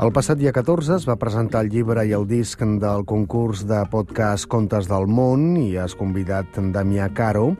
El passat dia 14 es va presentar el llibre i el disc del concurs de podcast Contes del Món i has convidat Damià Caro.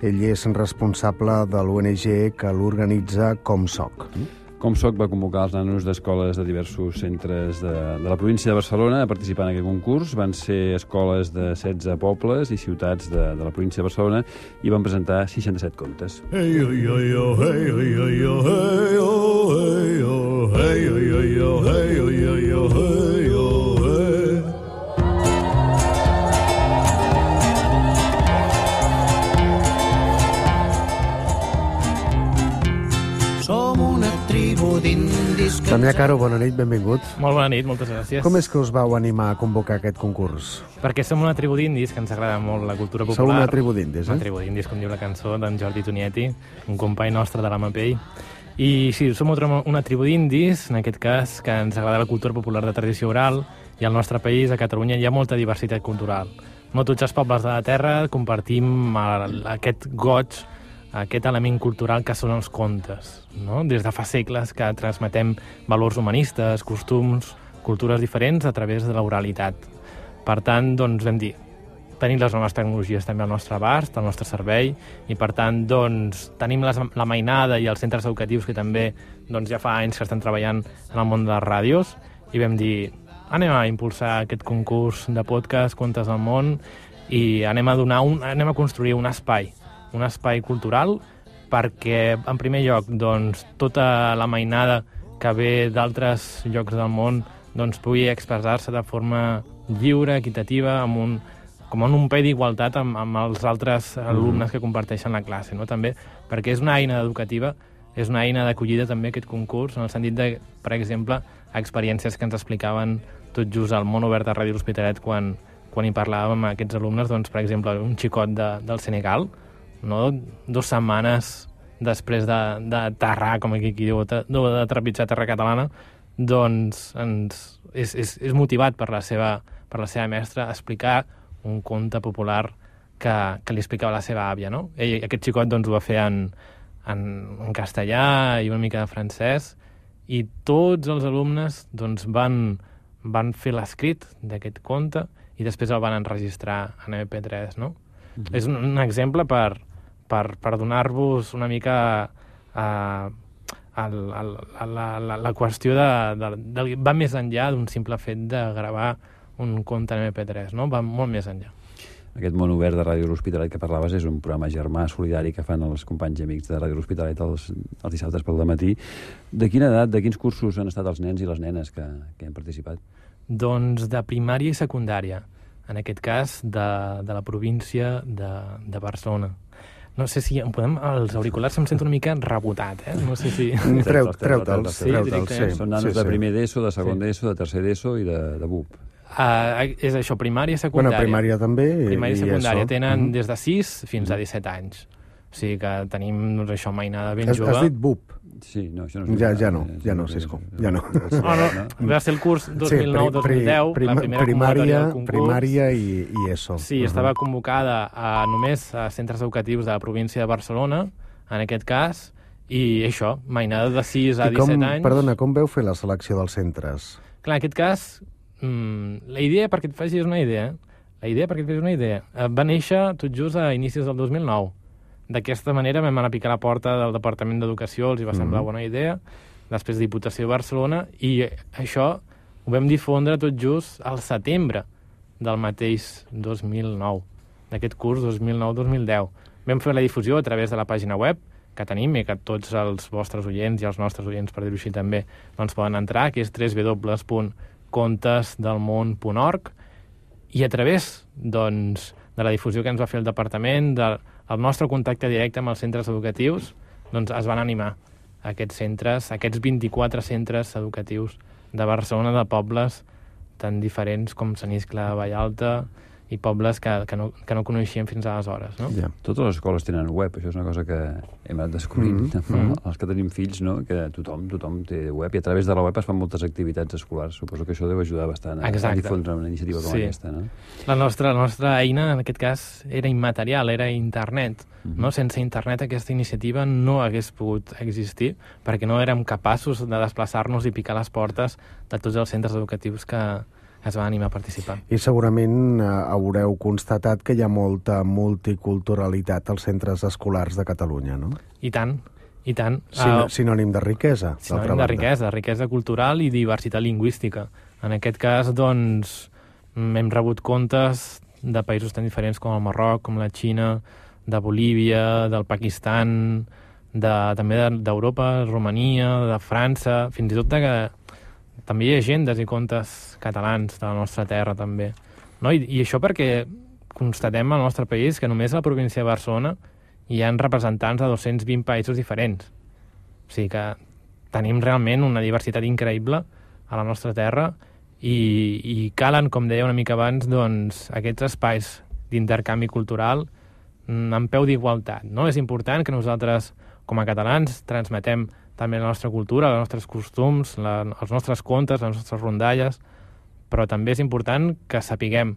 Ell és responsable de l'ONG que l'organitza Com Soc. Com Soc va convocar els nanos d'escoles de diversos centres de la província de Barcelona a participar en aquest concurs. Van ser escoles de 16 pobles i ciutats de la província de Barcelona i van presentar 67 contes. Hey, oh, hey, oh, hey, oh, hey, oh, hey, oh, hey, oh, hey, oh, hey, oh, hey, oh, hey, oh, hey, oh, hey. Som una tribu d'indis... Damià Caro, bona nit, benvingut. Molt bona nit, moltes gràcies. Com és que us vau animar a convocar aquest concurs? Perquè som una tribu d'indis, que ens agrada molt la cultura popular. Sou una tribu d'indis, Una tribu d'indis, com diu la cançó d'en Jordi Tonieti, un company nostre de la Mapell. I sí, som una tribu d'indis, en aquest cas, que ens agrada la cultura popular de tradició oral, i al nostre país, a Catalunya, hi ha molta diversitat cultural. No tots els pobles de la terra compartim aquest goig, aquest element cultural que són els contes, no? Des de fa segles que transmetem valors humanistes, costums, cultures diferents a través de l'oralitat. Per tant, doncs, vam dir, tenim les noves tecnologies també al nostre abast, al nostre servei, i per tant, doncs, tenim la mainada i els centres educatius que també doncs, ja fa anys que estan treballant en el món de les ràdios, i vam dir, anem a impulsar aquest concurs de podcast Contes del Món i anem a construir un espai cultural perquè, en primer lloc, doncs, tota la mainada que ve d'altres llocs del món doncs, pugui expressar-se de forma lliure, equitativa, com en un peu d'igualtat amb els altres alumnes que comparteixen la classe, no? També perquè és una eina educativa, és una eina d'acollida també aquest concurs, en el sentit de, per exemple, experiències que ens explicaven tot just al món obert de Ràdio L'Hospitalet quan hi parlàvem amb aquests alumnes, doncs, per exemple, un xicot del Senegal, no? 2 setmanes després d'aterrar, com aquí diu, de trepitjar terra catalana, doncs és motivat per la seva mestra a explicar un conte popular que li explicava la seva àvia, no? Aquest xicot doncs, ho va fer en castellà i una mica de francès, i tots els alumnes doncs, van fer l'escrit d'aquest conte i després el van enregistrar en MP3, no? És un exemple per donar-vos una mica la qüestió va més enllà d'un simple fet de gravar un conte en MP3, no? Va molt més enllà. Aquest món obert de Ràdio L'Hospitalet que parlaves és un programa germà solidari que fan els companys i amics de Ràdio L'Hospitalet els dissabtes pel dematí. De quina edat, de quins cursos han estat els nens i les nenes que han participat? Doncs de primària i secundària, en aquest cas de la província de Barcelona. No sé si els auriculars em sento una mica rebotat, eh? No sé si... Treu-te'ls. Són nanos de primer d'ESO, de segon d'ESO, de tercer d'ESO i de BUP. És això, primària i secundària. Bueno, primària també. Primària i secundària. Tenen des de 6 fins a 17 anys. O sigui que tenim, doncs, això, mainada ben jove. Has dit BUP? Sí, no, això no és... Ja no, Cisco, ja no. Va ser el curs 2009-2010, la primera convocatòria del concurs. Primària i ESO. Sí, estava convocada només a centres educatius de la província de Barcelona, en aquest cas, i això, mainada de 6 a 17 anys. Perdona, com veu fer la selecció dels centres? Clar, en aquest cas, la idea, perquè et facis una idea, va néixer tot just a inicis del 2009. D'aquesta manera vam anar a picar a la porta del Departament d'Educació, els hi va semblar bona idea, després Diputació de Barcelona, i això ho vam difondre tot just al setembre del mateix 2009, d'aquest curs 2009-2010. Vam fer la difusió a través de la pàgina web que tenim i que tots els vostres oients i els nostres oients, per dir-ho així també, doncs poden entrar, que és www.contesdelmon.org, i a través doncs, de la difusió que ens va fer el departament, el nostre contacte directe amb els centres educatius, doncs es van animar aquests centres, aquests 24 centres educatius de Barcelona, de pobles tan diferents com Sant Iscle de Vallalta i pobles que no coneixíem fins aleshores, no? Ja. Totes les escoles tenen web, això és una cosa que hem anat descobrint. Els que tenim fills, no? Que tothom té web, i a través de la web es fan moltes activitats escolars. Suposo que això deu ajudar bastant a difondre una iniciativa com aquesta, no? La nostra eina, en aquest cas, era immaterial, era internet. No? Sense internet aquesta iniciativa no hagués pogut existir, perquè no érem capaços de desplaçar-nos i picar les portes de tots els centres educatius que es van animar a participar. I segurament haureu constatat que hi ha molta multiculturalitat als centres escolars de Catalunya, no? I tant, i tant. Sinònim de riquesa, Sinònim de riquesa cultural i diversitat lingüística. En aquest cas, doncs, hem rebut contes de països tan diferents com el Marroc, com la Xina, de Bolívia, del Pakistan, també d'Europa, Romania, de França, fins i tot també hi ha llegendes i contes catalans de la nostra terra, també. No? I això perquè constatem al nostre país que només a la província de Barcelona hi ha representants de 220 països diferents. O sigui que tenim realment una diversitat increïble a la nostra terra i calen, com deia una mica abans, doncs, aquests espais d'intercanvi cultural en peu d'igualtat. No? És important que nosaltres, com a catalans, transmetem també la nostra cultura, els nostres costums, els nostres contes, les nostres rondalles, però també és important que sapiguem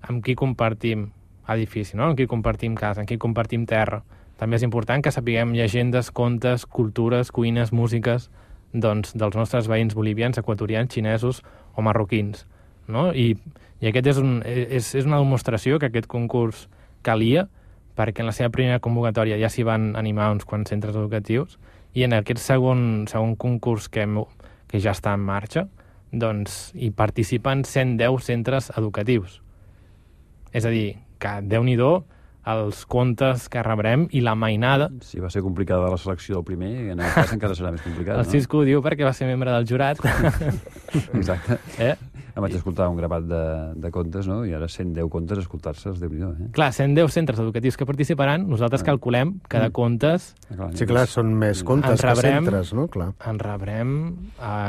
amb qui compartim edifici, no? Amb qui compartim casa, amb qui compartim terra. També és important que sapiguem llegendes, contes, cultures, cuines, músiques, doncs, dels nostres veïns bolivians, equatorians, xinesos o marroquins. No? I aquest és una demostració que aquest concurs calia, perquè en la seva primera convocatòria ja s'hi van animar uns quants centres educatius, i en aquest segon concurs que ja està en marxa, doncs hi participen 110 centres educatius. És a dir, que Déu-n'hi-do els contes que rebrem i la mainada. Si va ser complicada la selecció del primer, en aquest cas encara serà més complicat, El Cisco ho diu perquè va ser membre del jurat. Exacte. Em vaig escoltar un grapat de contes, no? I ara 110 contes a escoltar-se, Déu-n'hi-do. Clar, 110 centres educatius que participaran, nosaltres calculem que de contes... Sí, clar, són més contes que centres, no? Clar. En rebrem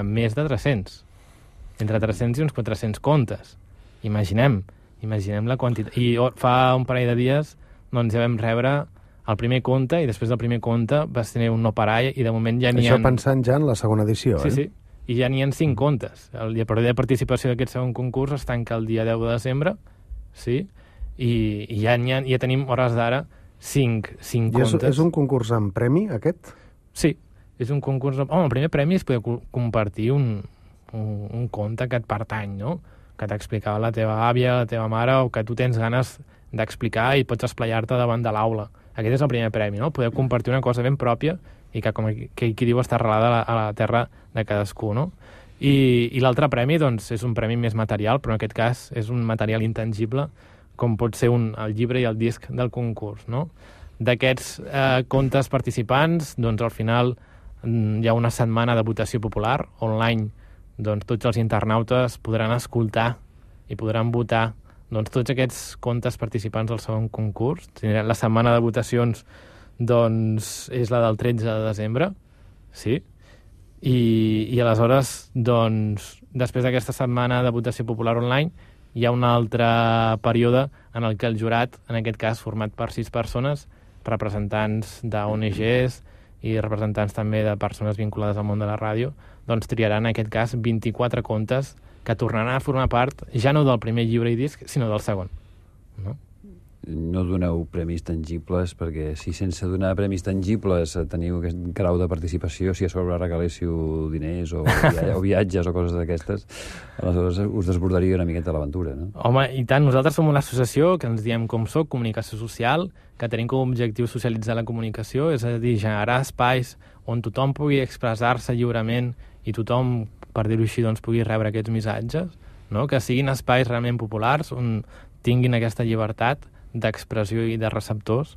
més de 300. Entre 300 i uns 400 contes. Imaginem la quantitat. I fa un parell de dies doncs ja vam rebre el primer conte i després del primer conte vas tenir un no parar i de moment ja n'hi ha... Això pensant ja en la segona edició, Sí. I ja n'hi ha 5 contes. El període de participació d'aquest segon concurs es tanca el dia 10 de desembre, sí? I ja tenim hores d'ara 5 contes. I és un concurs amb premi, aquest? Sí, és un concurs... el primer premi és poder compartir un conte que et pertany, no? Que t'explicava la teva àvia, la teva mare, o que tu tens ganes d'explicar i pots esplayar-te davant de l'aula. Aquest és el primer premi, no? Poder compartir una cosa ben pròpia i que, com qui diu, està arrelada a la terra de cadascú, no? I l'altre premi, doncs, és un premi més material, però en aquest cas és un material intangible, com pot ser el llibre i el disc del concurs, no? D'aquests contes participants, doncs, al final hi ha una setmana de votació popular online. Doncs tots els internautes podran escoltar i podran votar doncs, tots aquests contes participants del segon concurs. La setmana de votacions doncs, és la del 13 de desembre, sí? I aleshores, doncs, després d'aquesta setmana de votació popular online, hi ha un altre període en el que el jurat, en aquest cas format per 6 persones, representants d'ONGs i representants també de persones vinculades al món de la ràdio, doncs triaran en aquest cas 24 contes que tornaran a formar part ja no del primer llibre i disc, sinó del segon. No doneu premis tangibles, perquè si sense donar premis tangibles teniu aquest grau de participació, si a sobre regaléssiu diners o viatges o coses d'aquestes, aleshores us desbordaria una miqueta l'aventura, no? Home, i tant, nosaltres som una associació que ens diem com soc, comunicació social, que tenim com a objectiu socialitzar la comunicació, és a dir, generar espais on tothom pugui expressar-se lliurement i tothom, per dir-ho així, doncs, pugui rebre aquests missatges, no? Que siguin espais realment populars on tinguin aquesta llibertat d'expressió i de receptors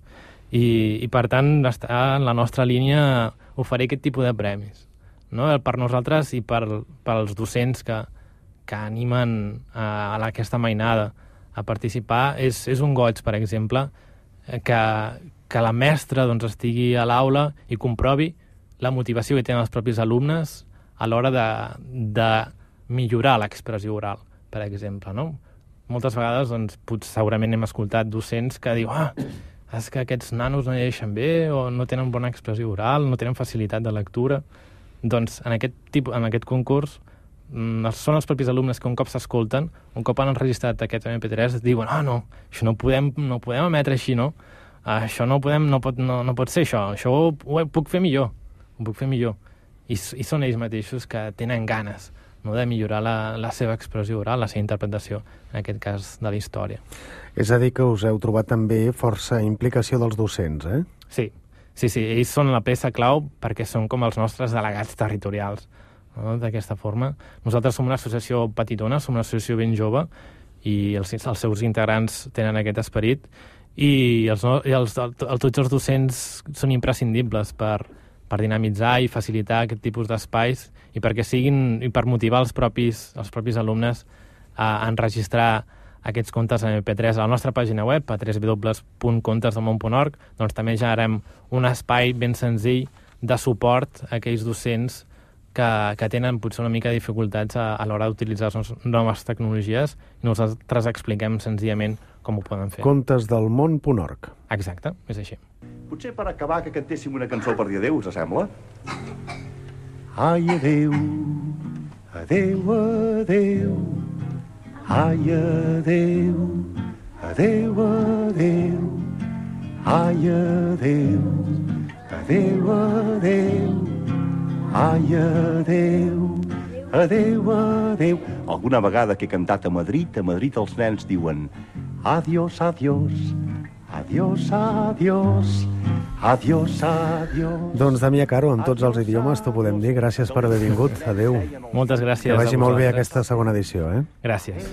i per tant està en la nostra línia oferir aquest tipus de premis, no? Per nosaltres i pels docents que animen a aquesta mainada a participar és un goig, per exemple, que la mestra doncs, estigui a l'aula i comprovi la motivació que tenen els propis alumnes a l'hora de millorar l'expressió oral, per exemple, no? moltes vegades doncs, segurament hem escoltat docents que diu és que aquests nanos no llegeixen bé o no tenen bona expressió oral, no tenen facilitat de lectura. Doncs en aquest concurs són els propis alumnes que un cop s'escolten, un cop han enregistrat aquest MP3, diuen no, això no podem emetre així, no? Això no pot ser això ho puc fer millor, I són ells mateixos que tenen ganes, no, de millorar la seva expressió oral, la seva interpretació, en aquest cas de la història. És a dir, que us heu trobat també força implicació dels docents, eh? Sí, ells són la peça clau perquè són com els nostres delegats territorials, no? D'aquesta forma. Nosaltres som una associació petitona, som una associació ben jove, i els seus integrants tenen aquest esperit, i tots els docents són imprescindibles per dinamitzar i facilitar aquest tipus d'espais i per motivar els propis alumnes a enregistrar aquests contes en MP3 a la nostra pàgina web, a www.contesdelmón.org. Doncs també generarem un espai ben senzill de suport a aquells docents que tenen potser una mica de dificultats a l'hora d'utilitzar les noves tecnologies, i nosaltres expliquem senzillament com ho poden fer. Contesdelmón.org. Exacte, és així. Potser per acabar que cantéssim una cançó per dir adéu, us sembla? Ai, adéu, adéu, adéu, ai, adéu, adéu, adéu, ai, adéu, adéu, adéu, ai, adéu, adéu, adéu. Alguna vegada que he cantat a Madrid els nens diuen adiós, adiós, adiós, adiós, adiós, adiós. Doncs, Damià Caro, en tots els idiomes t'ho podem dir. Gràcies per haver vingut. Adéu. Moltes gràcies. Que vagi molt bé aquesta segona edició, eh? Gràcies.